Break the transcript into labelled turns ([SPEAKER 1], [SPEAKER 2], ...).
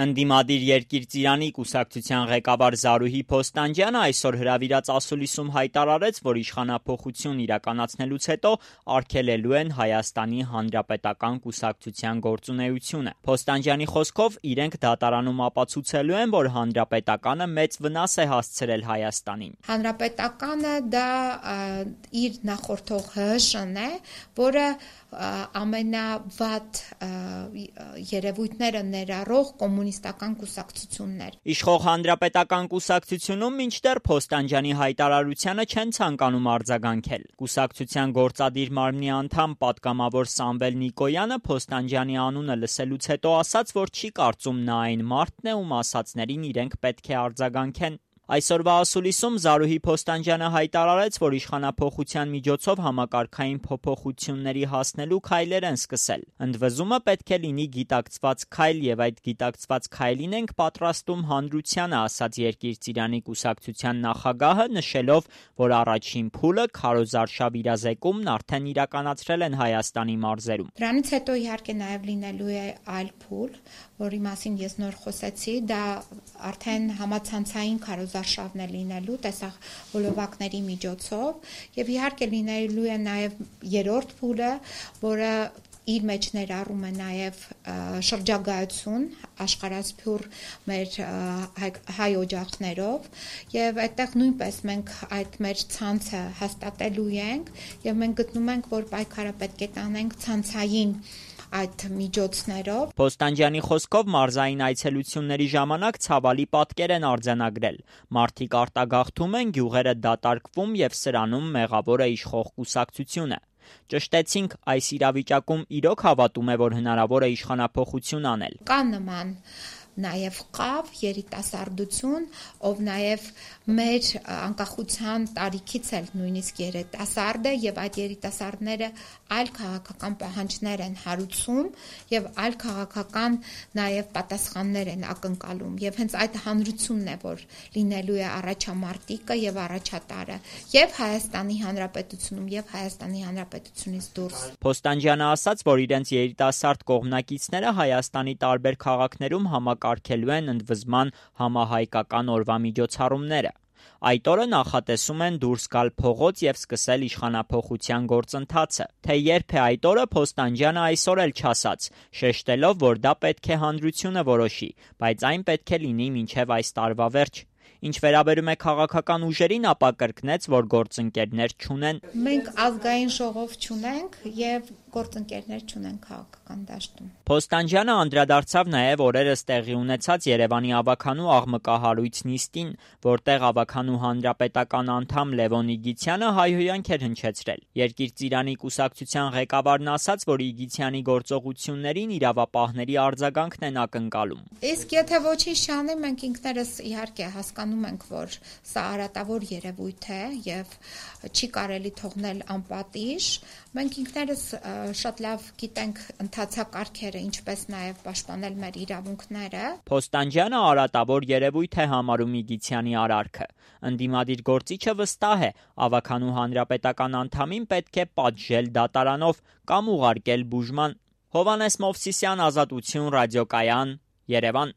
[SPEAKER 1] Ընդդիմադիր Երկիր Ծիրանի կուսակցության ղեկավար Զարուհի Փոստանջյանը այսօր հրավիրած ասուլիսում հայտարարեց, որ իշխանափոխություն իրականացնելուց հետո արգելելու են Հայաստանի Հանրապետական կուսակցության գործունեությունը։ Փոստանջյանի խոսքով իրենք դատարանում ապացուցելու են, որ Հանրապետականը մեծ վնաս է հասցրել Հայաստանին։
[SPEAKER 2] Հանրապետականը դա իր նախորդող ՀՀՇ-ն է, որը ամենավատ երևույթները ներառող կոմունիստական կուսակցություններ։
[SPEAKER 1] Իշխող Հանրապետական կուսակցությունում մինչդեռ Փոստանջյանի հայտարարությանը չեն ցանկանում արձագանքել։ Կուսակցության գործադիր մարմնի անդամ պատգամավոր Սամվել Նիկոյանը Փոստանջյանի անունը լսելուց հետո ասաց, որ չի կարծում նա այն մարդն է, ում ասածներին իրենք պետք է արձագանքեն։ Այսօրվա ասուլիսում Զարուհի Փոստանջյանը հայտարարեց, որ իշխանափոխության միջոցով համակարգային փոփոխությունների հասնելու քայլեր են սկսել։ Ընդվզումը պետք է լինի գիտակցված քայլ եւ այդ գիտակցված քայլին ենք պատրաստում հանրությանը, ասաց Երկիր Ծիրանի կուսակցության նախագահը, նշելով, որ առաջին փուլը քարոզարշավ իրազեկումն արդեն իրականացրել են Հայաստանի մարզերում։
[SPEAKER 2] Դրանից հետո իհարկե նաեւ լինելու է այլ փուլ, որի մասին ես նոր խոսեցի, դա արդեն համացանցային քարոզարշավն է լինելու տեսախ հոլովակների միջոցով եւ իհարկե լինելու է նաեւ երրորդ փուլը, որը իր մեջ ներառում է նաև շրջագայություն աշխարհասփյուռ մեր հայ օջախներով եւ այդտեղ նույնպես մենք այդ մեր ցանցը հաստատելու ենք եւ մենք գտնում ենք, որ պայքարը պետք է տանենք ցանցային այդ միջոցներով։
[SPEAKER 1] Փոստանջյանի խոսքով մարզային այցելությունների ժամանակ ցավալի պատկեր են արձանագրել։ Մարդիկ արտագաղթում են, գյուղերը դատարկվում եւ սրանում մեղավոր է իշխող կուսակցությունը։ Ճշտեցինք, այս իրավիճակում իրոք հավատում է, որ հնարավոր է իշխանափոխություն անել։
[SPEAKER 2] Կա նման նաև խավ երիտասարդություն, ով նաև մեր անկախության տարիքից էլ նույնիսկ երիտասարդ է եւ այդ երիտասարդները այլ քաղաքական պահանջներ են հարուցում եւ այլ քաղաքական նաև պատասխաններ են ակնկալում եւ հենց այդ հանրությունն է, որ լինելու է առաջամարտիկը եւ առաջատարը եւ Հայաստանի Հանրապետությունում եւ Հայաստանի Հանրապետությունից դուրս։
[SPEAKER 1] Փոստանջյանը ասաց, որ իրենց երիտասարդ կողմնակիցները Հայաստանի տարբեր քաղաքներում համակարգելու են ընդվզման համահայկական օրվա միջոցառումները։ Այդ օրը նախատեսում են դուրս գալ փողոց եւ սկսել իշխանափոխության գործընթացը։ Թե երբ է այդ օրը, Փոստանջյանը այսօր էլ չասաց, շեշտելով, որ դա պետք է հանրությունը որոշի, բայց այն պետք է լինի մինչեւ այս տարվա վերջ։ Ինչ վերաբերում է քաղաքական ուժերին, ապա կրկնեց, որ գործընկերներ չունեն։
[SPEAKER 2] Մենք ազգային ժողով չունենք եւ գործընկերներ չունենք քաղաքական դաշտում։
[SPEAKER 1] Փոստանջյանը անդրադարձավ նաև օրերս տեղի ունեցած Երևանի ավագանու աղմկահարույց նիստին, որտեղ ավագանու հանրապետական անդամ Լևոն Իգիթյանը հայհոյանք էր հնչեցրել։ Երկիր Ծիրանի կուսակցության ղեկավարն ասաց, որ Իգիթյանի գործողություններին իրավապահների արձագանքն են ակնկալում։
[SPEAKER 2] Իսկ եթե ոչինչ չանի, մենք ինքներս իհարկե հասկանում ենք, որ սա արատավոր երևույթ է եւ չի կարելի թողնել անպատիժ։ Մենք ինքներս շատ լավ գիտենք ընթացակարգերը, ինչպես նաև պաշտպանել մեր իրավունքները։
[SPEAKER 1] Փոստանջյանը արատավոր երևույթ է համարում Իգիթյանի արարքը։ Ընդդիմադիր գործիչը վստահ է, ավագանու հանրապետական անդամին պետք է պատժել դատարանով կամ ուղարկել բուժման։ Հովհաննես Մովսիսյան, Ազատություն, ռադիոկայան, Երևան։